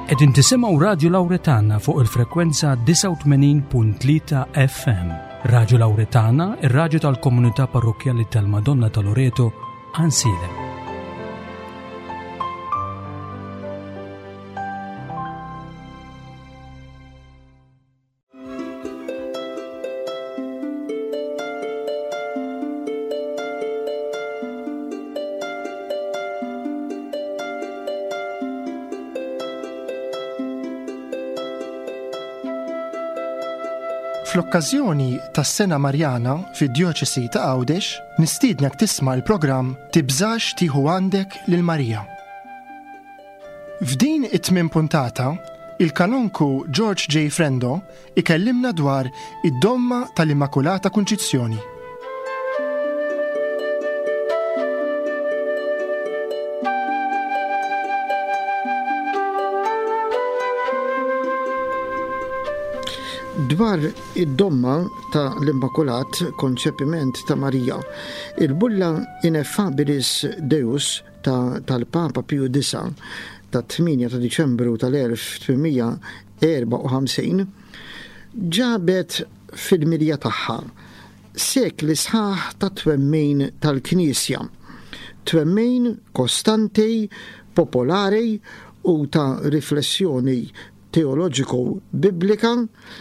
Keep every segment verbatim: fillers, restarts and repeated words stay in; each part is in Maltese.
Qegħdin tisimgħu Radio Lauretana fuq il-frekwenza disgħa u tmenin punt tlieta F M. Radio Lauretana, ir-radju tal-Komunità Parrokkjali tal-Madonna ta' Loreto, Għajnsielem. Fl-okkażjoni tas-Sena Marjana fid-Djoċesi ta' Għawdex, nistiednek tisma' l-programm Tibżax tieħu għandek lil Marija. F'din it-tmien puntata, il-kanonku George J. Frendo ikellimna dwar id-domma tal-Immakulata Kunċizzjoni. Dwar id-domma ta' l-Immakulat Konċepiment ta' Marija, il-bulla Ineffabilis Deus ta' tal-Papa Piju Disa ta' tmienja ta' Diċembru tal-elf tmien mija erbgħa u ħamsin ġabet fil-milja tagħha sekli sħaħ ta' twemmin tal-Knisja, twemmin kostanti, popolari u ta' riflessjoni teoloġiku biblika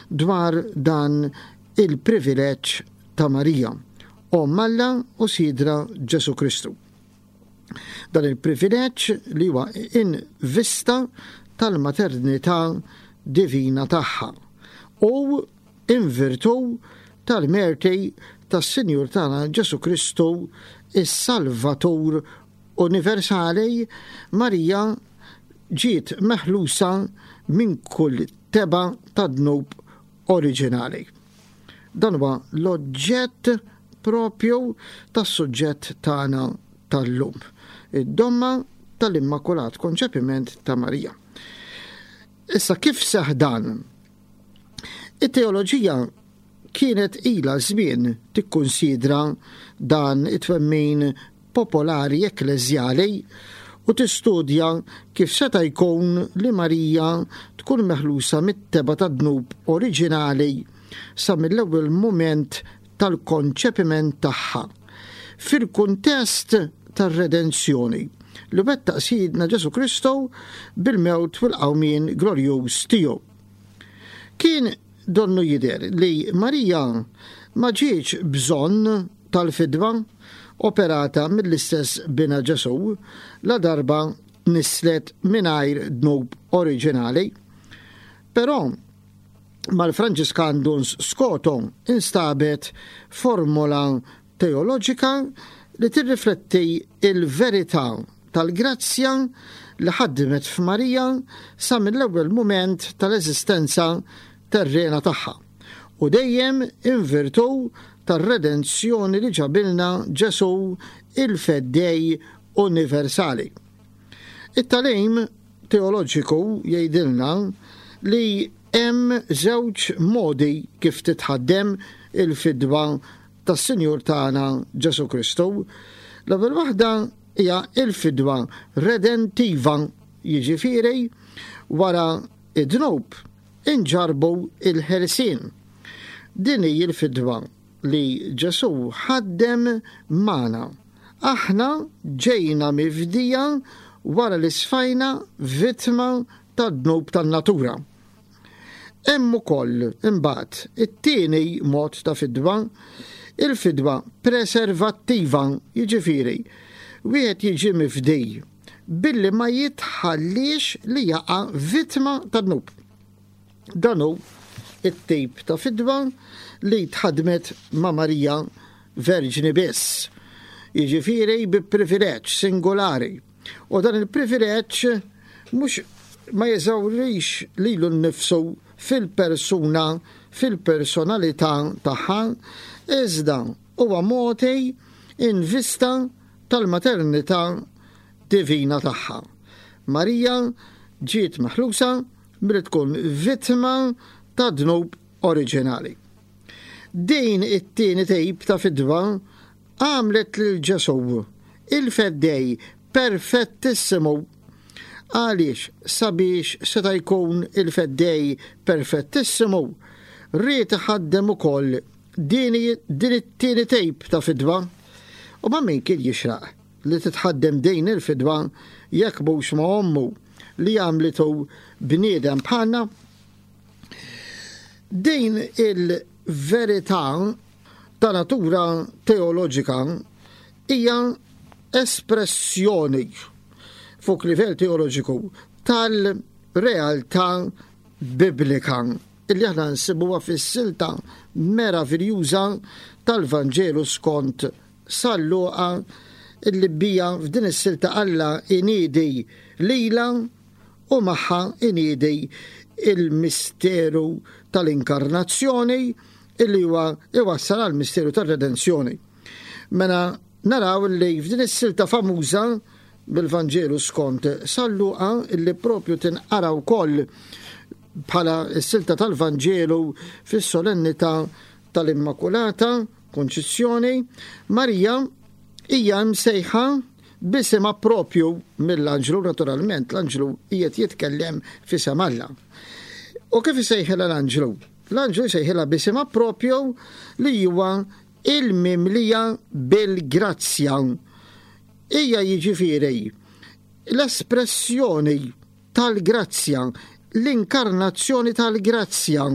dwar dan il-privileġġ ta' Marija, Omm Alla u Sidra Ġesu Kristu. Dan il-privileġġ li huwa in vista tal-maternità divina tagħha u in virtù tal-merti tas-Sinjur tagħna Ġesu Kristu, is-Salvatur universali, Marija ġiet meħlusa minn kull tebgħa ta' dnub oriġinali. Dan huwa l-oġġett propju tas-suġġett tagħna tal-lum. Id-domma tal-Immakulat Konċepiment ta' Marija. Issa, kif seħ dan? It-teoloġija kienet ila żmien tikkunsidra dan it-twemmin popolari ekkleżjali u tistudja kif seta' jkun li Marija tkun meħlusa mit-tebgħa ta' dnub oriġinali sa mill-ewwel mument tal-konċepiment tagħha, fil-kuntest tar-redenzjoni li wettaq Sidna Ġesu Kristu bil-mewt u l-qawmien glorjuż tiegħu. Kien donnu jidher li Marija ma ġietx bżonn tal-fidwa operata mill-istess bina Ġesu la darba tnisslet mingħajr dnub oriġinali. Però mal-Franġiskan Duns Scoto instabet formola teoloġika li tirrifletti il-verità tal-grazzja li ħadmet f'Marija sa mill-ewwel mument tal-eżistenza terrena tagħha u dejjem in virtù tar-redenzjoni li ġabilna Ġesu, il-Feddej universali. It-tagħlim teoloġiku jgħidilna li hemm żewġ modi kif titħaddem il-fidwa tas-Sinjur tagħna Ġesu Kristu. L-ewwel waħda hija il-fidwa redentiva, jiġifieri wara id-dnub inġarbu il-ħelsien. Din hi l-fidwa li Ġesu ħaddem magħna. Aħna ġejna mifdija wara li sfajna vittma tad-dnub tan-natura. Hemm ukoll imbagħad it-tieni mod ta' fidwa, il-fidwa preservattiva, jiġifieri wieħed jiġi mifdi billi ma jitħallix li jaqa' vittma ta' dnub. Dan hu it-tip ta' fidwa li tħadmet ma' Marija Verġni biss. Jiġifieri bi privileġġ singolari. U dan il-privileġġ mhux ma jeżawrix lilu nnifsu fil-persuna, fil-personalità tagħha, iżda huwa mogħti in vista tal-maternità divina tagħha. Marija ġiet meħlusa milli tkun vittma ta' dnub oriġinali. Din it-tieni tip ta' fidwa għamlet lil Ġesu il-Feddej perfettissimu Għaliex sabiex seta' jkun il-feddej perfettissimu, ried iħaddem ukoll din it-tieni tip ta' fidwa. U ma' min kien jixraq li titħaddem din il-fidwa jekk mhux ma' ommu li għamlitu bniedem bħalna? Din il-verità ta' natura teoloġika hija espressjoni fuq livell teoloġiku tal-realtà biblika illi aħna nsibuha fis-silta meraviljuża tal-Vanġelu skont San Luqa, illi bija f'din is-silta Alla iniedi lila u magħha iniedi il-misteru tal-inkarnazzjoni illi huwa iwassal għal misteru tar-redenzjoni. Mela naraw li f'din is-silta famuża bil-Vanġelu skont San Luqa, illi propju tinqara wkoll bħala s-silta tal-Vanġelu fis-solennità tal-Immakulata Konċizzjoni, Marija hija msejħa b'isimha propju mill-anġlu. Naturalment l-anġlu qiegħed jitkellem f'isem Alla. U kif isejħilha l-anġlu? L-anġlu jsejħilha b'isimha propju li huwa il-mimlija bil-grazzja. Hija jiġifieri l-espressjoni tal-grazzja, l-inkarnazzjoni tal-grazzja.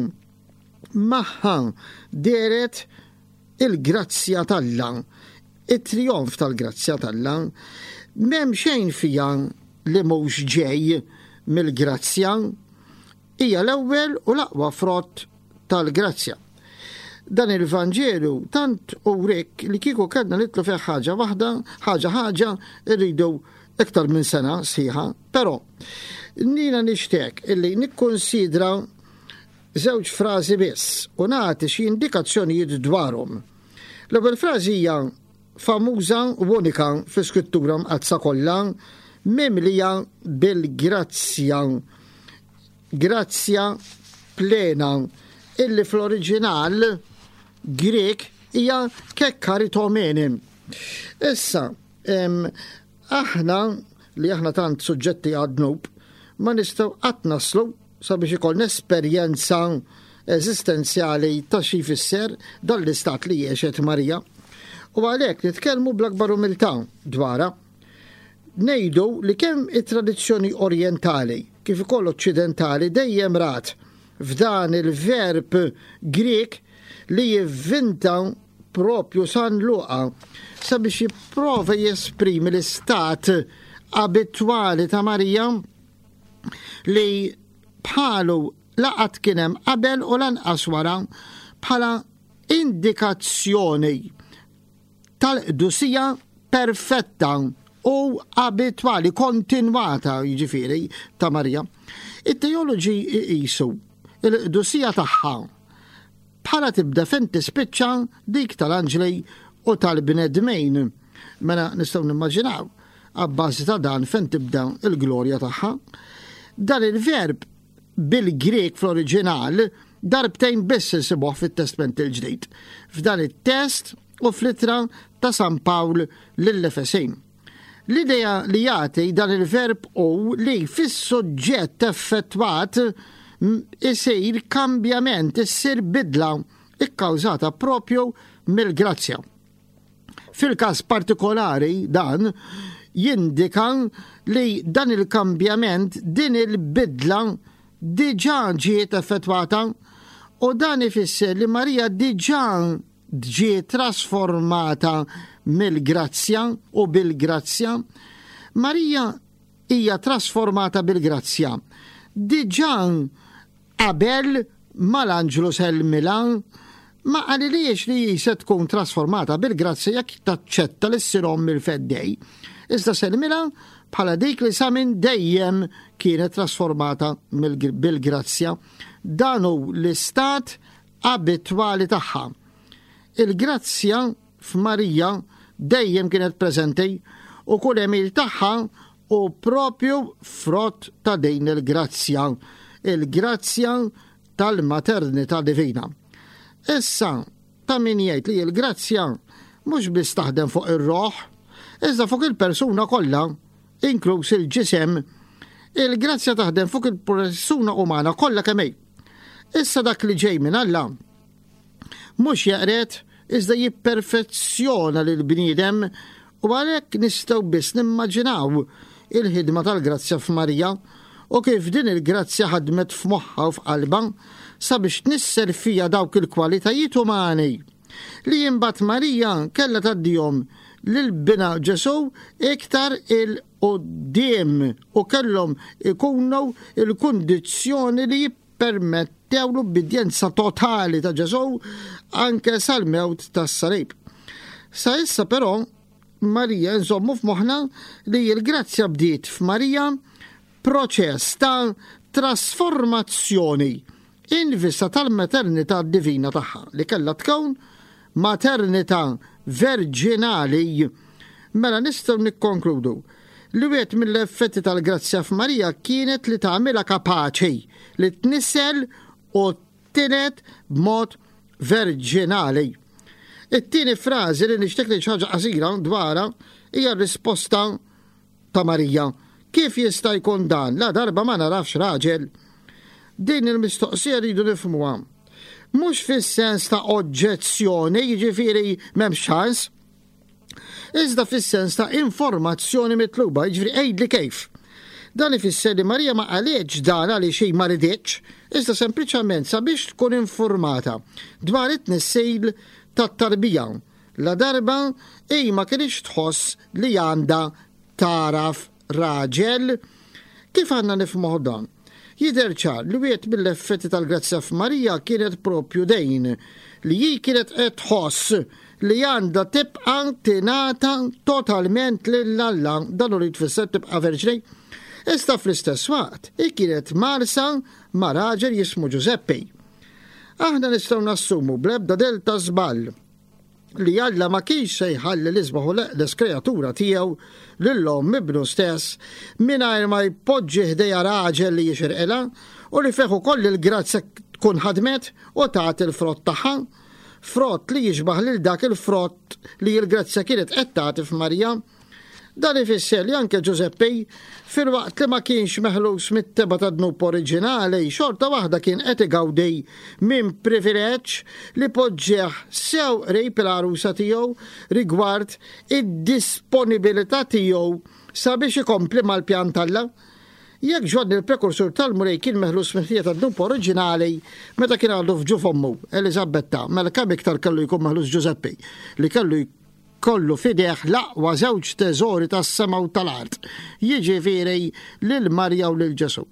Magħha dehret il-grazzja t'Alla, it-trionf tal-grazzja t'Alla. M'hemm xejn fija li mhux ġej mill-grazzja, hija l-ewwel u l-aqwa frott tal-grazzja. Dan il-Vanġelu tant urik li kieku kellna nitlu fih ħaġa waħda, ħaġa ħaġa, irridu iktar minn sena sħiħa, però nina nixtieq illi nikkonsidra żewġ frażi biss u nagħti xi indikazzjonijiet dwarhom. L-ewwel frażi hija famuża u unika fl-Iskrittura Mqaddsa kollha, mimlija bil-grazzja, grazzja plena, illi fl-oriġinal Grek hija kekkaritomene. Issa, em, aħna li aħna tant suġġetti għad-dnub, ma nistgħu qatt naslu sabiex ikollna esperjenza eżistenzjali ta' xi jfisser dan l-istat li għexet Marija. U għalhekk nitkellmu bl-akbar umiltà dwarha. Ngħidu li kemm it-tradizzjoni orjentali kif ukoll oċċidentali dejjem rat f'dan il-verb Grek li jivvinta propju San Luqa sabiex jipprova jesprimi l-istat abitwali ta' Marija li bħalu laqat kien hemm qabel u lanqas wara, bħala indikazzjoni tal-qdusija perfetta u abitwali kontinwata jiġifieri ta' Marija. It-teoloġi iqisu il-qdusija tagħha bħala tibda fejn tispiċċa dik tal-anġli u tal-bnedmin. Mela nistgħu nimmaġinaw abbażi ta' dan fejn tibda il-glorja tagħha. Dan il-verb bil-Grek fl-oriġinal darbtejn biss insibuh fit-Testment il-Ġdid, f'dan it-test u fl-ittra ta' San Pawl lill-Efesin. L-idea li jagħti dan il-verb hu li fis-suġġett effettwat isir kambjament, issir bidla ikkawżata propju mill-grazzja. Fil-każ partikolari dan jindika li dan il-kambjament, din il-bidla diġà ġiet effettwata, u dan ifisser li Marija diġà ġiet trasformata mill-grazzja u bil-grazzja. Marija hija trasformata bil-grazzja diġà qabel mal-anġlu sellmilha ma qalilhiex li se tkun trasformata bil-grazzja jekk taċċetta li ssir omm il-feddej. Iżda sellmilha bħala dik li sa minn dejjem kienet trasformata bil-grazzja. Dan hu l-istat abitwali tagħha. Il-grazzja f'Marija dejjem kienet preżenti u kull għemil tagħha u propju frott ta' din il-grazzja, il-grazzja tal-maternità divina. Issa, ta' min jgħid li l-grazzja mhux biss taħdem fuq ir-roħ, iżda fuq il-persuna kollha, inkluż il-ġisem. Il-grazzja taħdem fuq il-persuna umana kollha kemm hi. Issa dak li ġej minn Alla mhux jeqred iżda jipperfezzjona lil bniedem u għalhekk nistgħu biss nimmaġinaw il-ħidma tal-grazzja f'Marija u kif din il-grazzja ħadmet f'moħħa u f'qalba sabiex tnissel fija dawk il-kwalitajiet umani li imbagħad Marija kellha tgħaddihom lil binha Ġesù iktar 'il quddiem u kellhom ikunu il-kundizzjoni li jippermettew l-ubbidjenza totali ta' Ġesù anke sal-mewt tas-salib. Sa issa però Marija nżommu f'moħħna li l-grazzja bdiet f'Marija proċess ta' trasformazzjoni in vista tal-maternità divina tagħha li kellha tkun maternità verġinali. Mela nistgħu nikkonkludu li wieħed mill-effetti tal-grazzja f'Marija kienet li tagħmilha kapaċi li tnissel u tiled b'mod verġinali. It-tieni frażi li nixtieq li ħaġa qasira dwarha hija r-risposta ta' Marija. Kif jista' jkun dan? La darba ma narafx raġel. Din il-mistoqsija rridu nifhmuha. Mhux fis-sens ta' oġġezzjoni, jiġifieri m'hemmx ċans, iżda fis-sens ta' informazzjoni mitluba, jiġifieri għidli kif. Dan ifisser li Marija ma qalitx dan għaliex hi ma riditx, iżda sempliċement sabiex tkun informata dwar it-tnissil tat-tarbija. La darba hi ma kinitx tħoss li għandha tagħraf raġel. Kif għandna nifhmuh dan? Jidher ċar li wieħed mill-effetti tal-grazzja f'Marija kienet propju dejn li hi kienet qed tħoss li għandha tibqa' tingħata totalment lil Alla, dan hu li tfisser tibqa' verġni. Iżda fl-istess waqt hi kienet mgħarrsa ma' raġel jismu Ġużeppi. Aħna nistgħu nassumu bl-ebda delta żball li Alla ma kienx se jħalli l-isbaħ u l-eqdes kreatura tiegħu lil omm ibnu stess mingħajr ma jpoġġi ħdejha raġel li jixirqilha u li fih ukoll il-grazzja tkun ħadmet u tagħti l-frott tagħha, frott li jixbaħ lil dak il-frott li l-grazzja kienet qed tagħti f'Marija. Dan ifisser li anke Ġużeppi, filwaqt li ma kienx meħlus mit-tebgħa tad-dnub oriġinali, xorta waħda kien qed igawdi minn privileġġ li poġġeħ sew qrib il-għarusa tiegħu rigward id-disponibilità tiegħu sabiex ikompli mal-pjan t'Alla. Jekk Ġwanni il-prekursur tal-Mulej kien meħlus mill-ħtija tad-dnub oriġinali meta kien għadu f'ġuf ommu Eliżabetta, mela kemm iktar kellu jkun meħlus Ġużeppi li kellu kollu fideh l-aqwa żewġ teżori tas-sema u tal-art, jiġifieri lil Marija u lil Ġesù.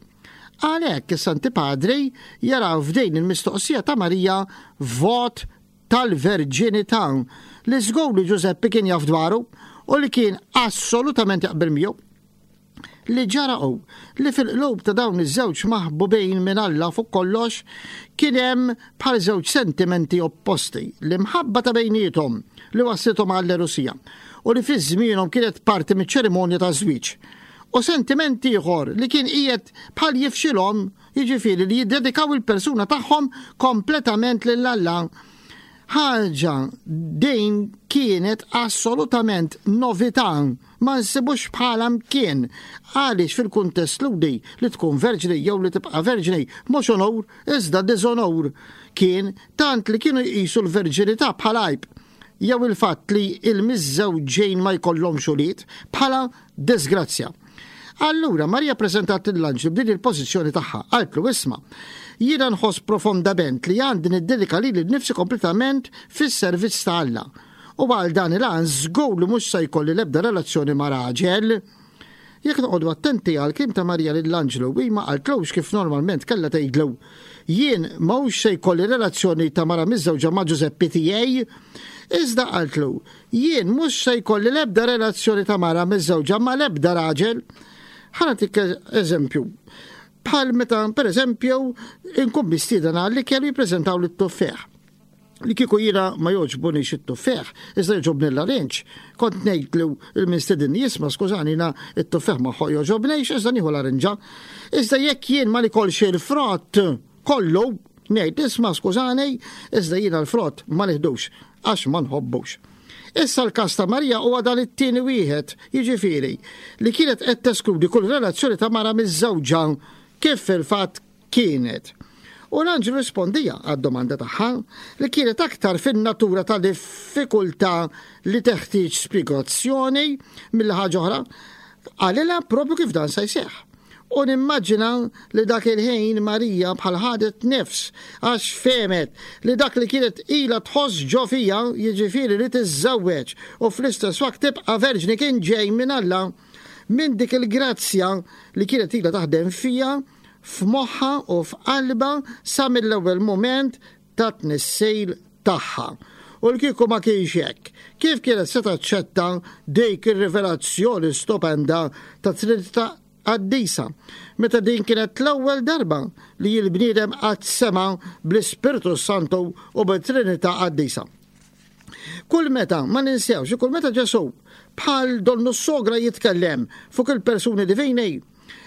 Għalhekk is-Santi Padri jaraw f'din il-mistoqsija ta' Marija vot tal-verġinità li żgur li Ġużeppi kien jaf dwaru u li kien assolutament jaqbel miegħu. Li ġara hu li fil-qlub ta' dawn iż-żewġ maħbubin minn Alla fuq kollox kien hemm bħal żewġ sentimenti opposti, l-imħabba ta' bejniethom li waslithom għall-erusija u li fi żmienhom kienet parti miċ-ċerimonja ta' żwieġ, u sentiment ieħor li kien qiegħed bħal jifxilhom, jiġifieri li jiddedikaw il-persuna tagħhom kompletament lil Alla. Ħaġa din kienet assolutament novità, ma nsibux bħala mkien, għaliex fil-kuntest ludi li tkun verġni jew li tibqa' verġni mhux onur iżda diżonur kien, tant li kienu jqisu l-verġinità bħala għajb jew il-fatt li il-miżżewġejn ma jkollhomx ulied bħala disgrazzja. Allura Marija preżentat lill-anġlu b'din il-pożizzjoni tagħha, qaltlu isma', jiena nħoss profondament li għandi niddedika lili nnifsi kompletament fis-servizz ta' Alla. U għal dan il-għan żgur li mhux se jkolli l-ebda relazzjoni ma' raġel. Jekk noqogħdu attenti għal kliem ta' Marija lill-anġlu, hi ma qaltlux kif normalment kellha tgħidlu, jien mhux se jkolli relazzjoni ta' mara miżżewġa ma' Ġużeppi tiegħi, iżda qaltlu, jien mhux se jkolli l-ebda relazzjoni ta' mara miżżewġa ma' l-ebda raġel. Ħa nagħtik eżempju. Bħal meta, per eżempju, inkun mistieden għal li kellu jippreżentaw lit-tuffieħ. Li kieku jiena ma jogħġbunix it-tuffieħ, iżda jogħġobni l-larinġ. Kont ngħidlu il-mistieden jisma', skużani, jiena it-tuffieħ ma jogħġobnix, iżda nieħu larinġa. Iżda jekk jien ma nikolx il-frott kollu, ngħid isma', skużani, iżda jiena l-frott ma nieħdux għax ma nħobbux. Issa l-każ ta' Marija huwa dan it-tieni wieħed, jiġifieri li kienet qed teskludi kull relazzjoni ta' mara miż-żewġa kif fil-fatt kienet. U l-anġlu rispondija għad-domanda tagħha li kienet aktar fin-natura ta' diffikultà li teħtieġ spjegazzjoni mill ħaġa oħra, qalilha propju kif dan se jseħħ. U nimmaġina li dak il-ħin Marija bħal ħadet nifs għax fehmet li dak li kienet ilha tħoss ġo fiha, jiġifieri li tiżżewweġ u fl-istess waqt tibqa' verġni, kien ġej minn Alla, minn dik il-grazzja li kienet ilha taħdem fiha, f'moħħa u f'qalba sa mill-ewwel mument ta' tnissejl tagħha. U l-kieku ma kienx hekk, kif kienet se taċċetta dik ir-rivelazzjoni stupenda ta' Trinità Qaddisa, meta din kienet l-ewwel darba li l-bniedem qatt sema' bl-Ispirtu Santu u bit-Trinità Qaddisa. Kull meta, ma ninsewx, kull meta Ġesù bħal donnu sogra jitkellem fuq il-persuni divini,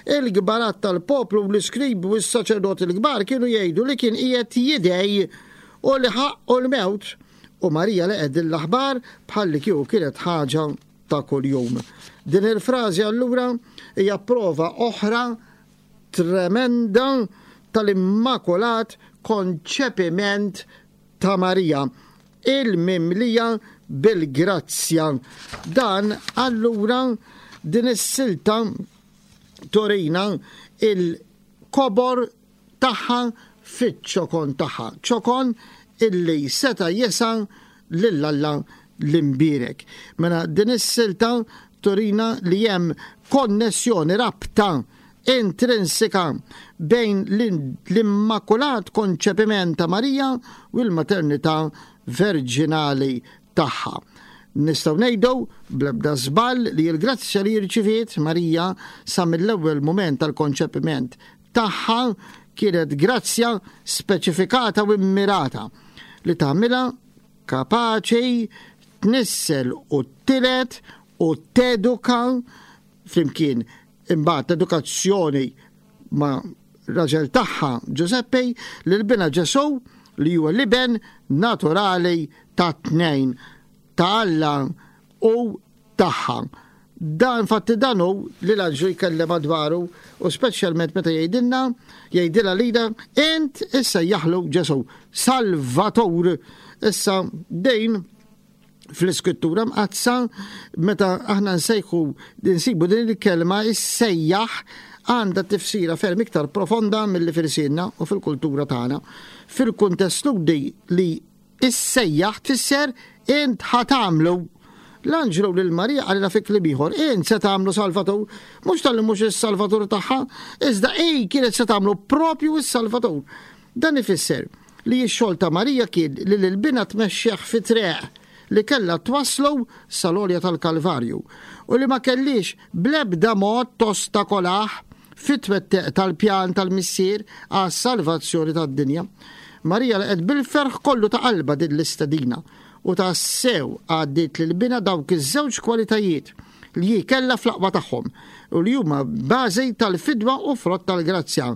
il-gbarat tal-poplu u l-iskribi u s-saċerdoti l-kbar kienu jgħidu li kien qiegħed jidej u li ħaqqu l-mewt, u Marija laqgħet din l-aħbar bħal li kieku kienet ħaġa ta' kuljum. Din il-frażi allura hija prova oħra tremenda tal-Immakulat Konċepiment ta' Marija, il-mimlija bil-grazzja. Dan allura din is-silta torina il-kobor tagħha fiċ-ċokon tagħha, ċokon illi seta' jesa' lil Alla l-imbierek. Mela din is-silta turina li hemm konnessjoni, rabta intrinsika bejn l-Immakulat Konċepiment ta' Marija u l-maternità verġinali tagħha. Nistgħu ngħidu bl-ebda żball li l-grazzja li rċiviet Marija sa mill-ewwel mument tal-konċepiment tagħha kienet grazzja speċifikata u immirata li tagħmilha kapaċi tnissel u tilet u teduka flimkien imbagħad edukazzjoni ma' raġel tagħha Giuseppe lil binha Ġesù li huwa l-iben naturali ta' tnejn ta' Alla u tagħha. Dan fatti dan hu li l-anġlu jkellem dwaru u speċjalment meta jgħidilna, jgħidilha lilha, int issa jaħlu Ġesù, Salvatur. Issa dejn fl-Iskrittura Mqaddsa meta aħna nsejħu nsibu din il-kelma issejjaħ għandha tifsira ferm iktar profonda milli fil-sinna u fil-kultura tagħna. Fil-kuntest Lhudi li issejjaħ tfisser int ħatamlu. L-anġlu lil Marija qalilha fi kliem ieħor, int se tagħmlu Salvatur, mhux talli mhux is-Salvatur tagħha, iżda hi kienet se tagħmlu propju is-Salvatur. Dan ifisser li x-xogħol ta' Marija kien li lil binha tmexxih fi triq li kellha twaslu sal-għolja tal-Kalvarju u li ma kellix bl-ebda mod tostakolah fit-twettiq tal-pjan tal-Missier għas-salvazzjoni tad-dinja. Marija laqgħet bil-ferħ kollu ta' qalba din l-istedina u tassew għaddiet lil binha dawk iż-żewġ kwalitajiet li hi kellha fl-aqwa tagħhom u li huma bażi tal-fidwa u frott tal-grazzja,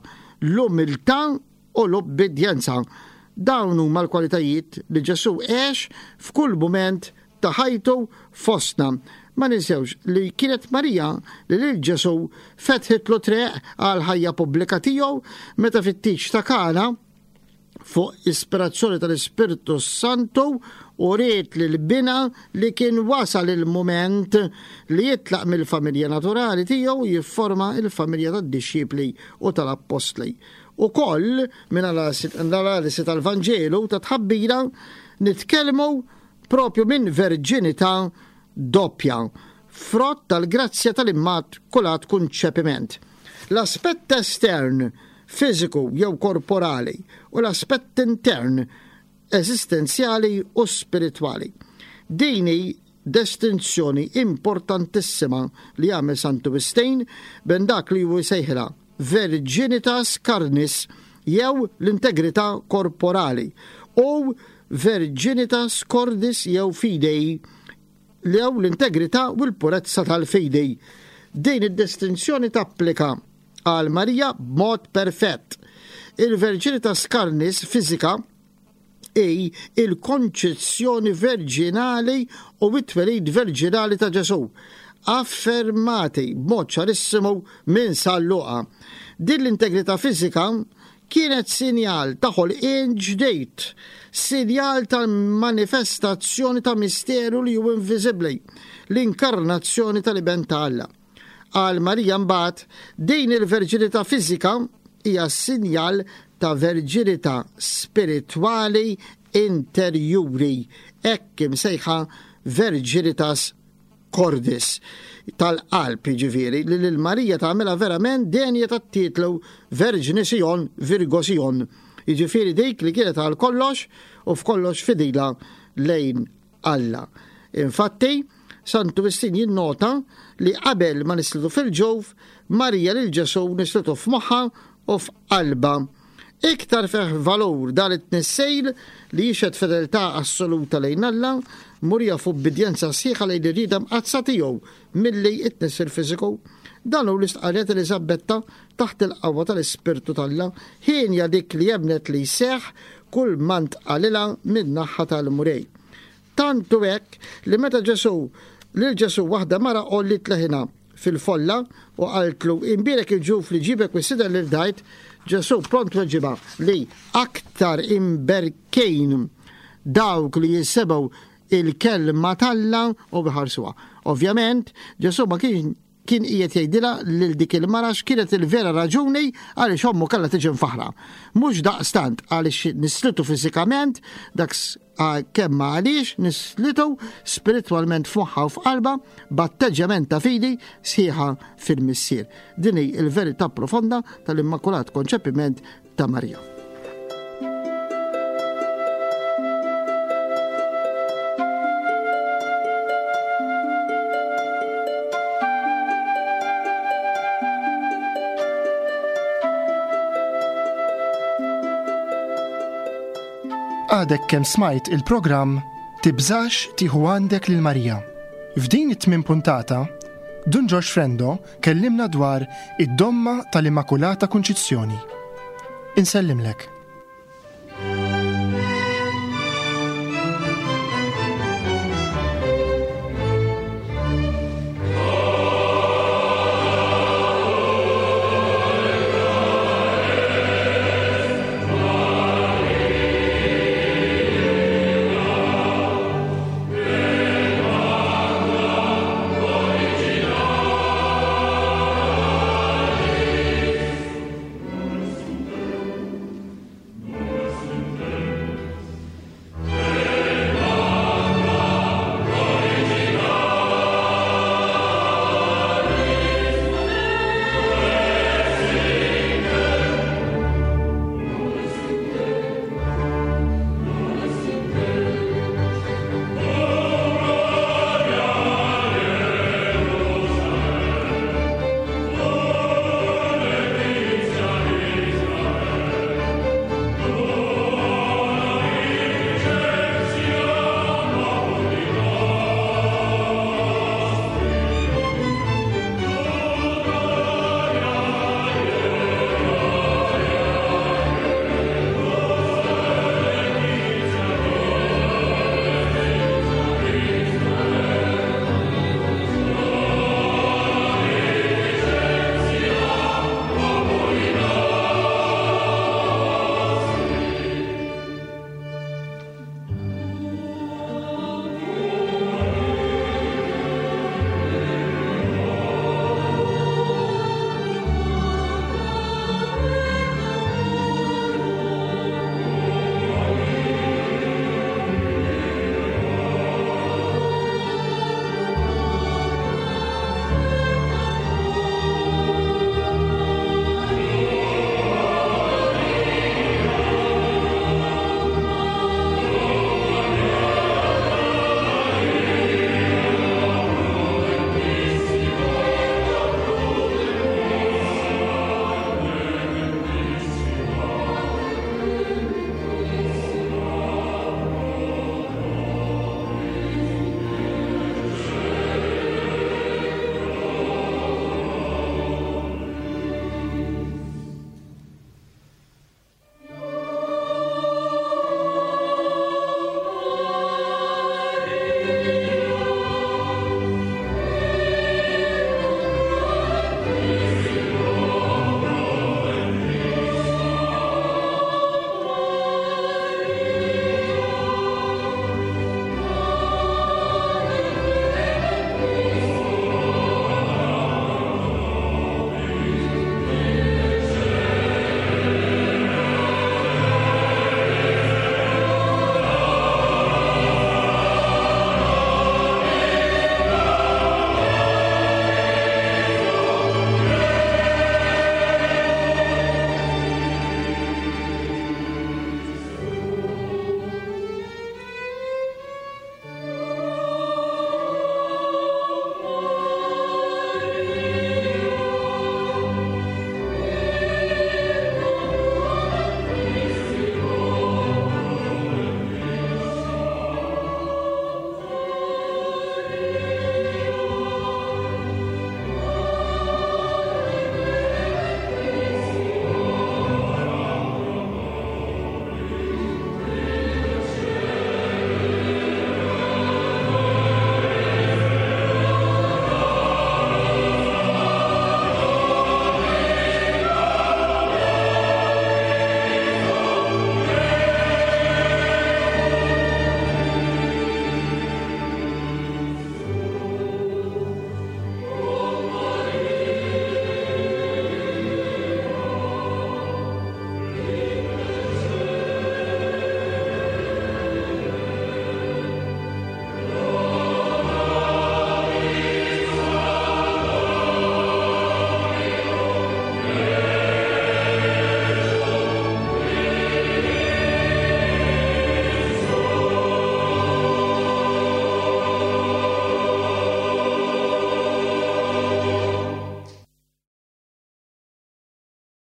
l-umiltà u l-ubbidjenza. Dawn huma l-kwalitajiet li Ġesù għex f'kull mument ta' ħajtu fostna. Ma ninsewx li kienet Marija li lil Ġesù fetħitlu triq għal ħajja pubblika tiegħu meta fit-tieġ ta' Kana fuq ispirazzjoni tal-Ispirtu Santu u ried lil binha li kien wasal il-mument li jitlaq mill-familja naturali tiegħu jifforma il-familja tad-dixxipli u tal-appostli. U koll minn l-analisi tal-Vanġelu ta' tħabbira nitkellmu propju minn verġinità doppja, frott tal-grazzja tal-Immakulat Konċepiment. L-aspett estern, fiżiku jew korporali, u l-aspett intern, eżistenzjali u spiritwali. Din hi distinzjoni importantissima li għamel Santu Wistin bejn dak li hu jsejħilha virginitas carnis jew l-integrità korporali u virginitas cordis jew fidei jew l-integrità u l-purezza tal-fidi. Din id-distinzjoni tapplika għal Marija b'mod perfett. Il-virginitas carnis fiżika hi il-konċezzjoni verġinali u it-twelid verġinali ta' Ġesù, affermati b'mod ċarissimu minn San Luqa. Din l-integrità fiżika kienet sinjal ta' ħolqien ġdid, sinjal tal-manifestazzjoni ta' misteru li hu inviżibbli, l-inkarnazzjoni tal-Iben ta' Alla. Għal Marija mbagħad din il-verġinità fiżika hija sinjal ta' verġinità spiritwali interjuri, hekk imsejħa virginitas cordis, tal-qalb jiġifieri, li lil Marija tagħmilha verament denja tat-titlu Verġni Sion, Virgo Sion, jiġifieri dik li kienet għal kollox u f'kollox fidila lejn Alla. Infatti, Santu Wistin jinnota li qabel ma nislitu fil-ġuf, Marija lil Ġesù nislitu f'moħħa u f'qalbha. Iktar fih valur dan it-tnissejl li jixhed fedeltà assoluta lejn Alla, murija f'ubbidjenza sħiħa lejn ir-rieda mqaddsa tiegħu milli t-tnissil fiżiku. Dan hu l-istqarrija t'Eliżabetta taħt il-qawwa tal-Ispirtu t'Alla, hienja dik li emmnet li jseħħ kull ma ntqalilha min-naħa tal-Mulej. Tant hu hekk li meta Ġesù lil Ġesù waħda mara għolliet leħinha fil-folla u qaltlu imbierek il-ġuf li ġibek u s-sider li rdajt, Ġesù pront weġibha li aktar imberkin dawk li jisimgħu il-kelma t'Alla u jħarsuha. Ovvjament, Ġesù ma kien kien qiegħed jgħidilha lil dik il-mara x'kienet il-vera raġuni għaliex ommu kellha tiġi mfaħra. Mhux daqstant għaliex nislitu fiżikament, dak kemm għaliex nislitu spiritwalment f'moħħha u f'qalbha b'atteġġjament ta' fidi sħiħa fil-Missier. Din hi l-verità profonda tal-Immakulat Konċepiment ta' Marija. Għadek kemm smajt il-programm Tibżax tieħu għandek lil Marija. F'din it-tmien puntata, Dun Ġorġ Frendo kellimna dwar id-domma tal-Immakulata Kunċizzjoni. Insellimlek.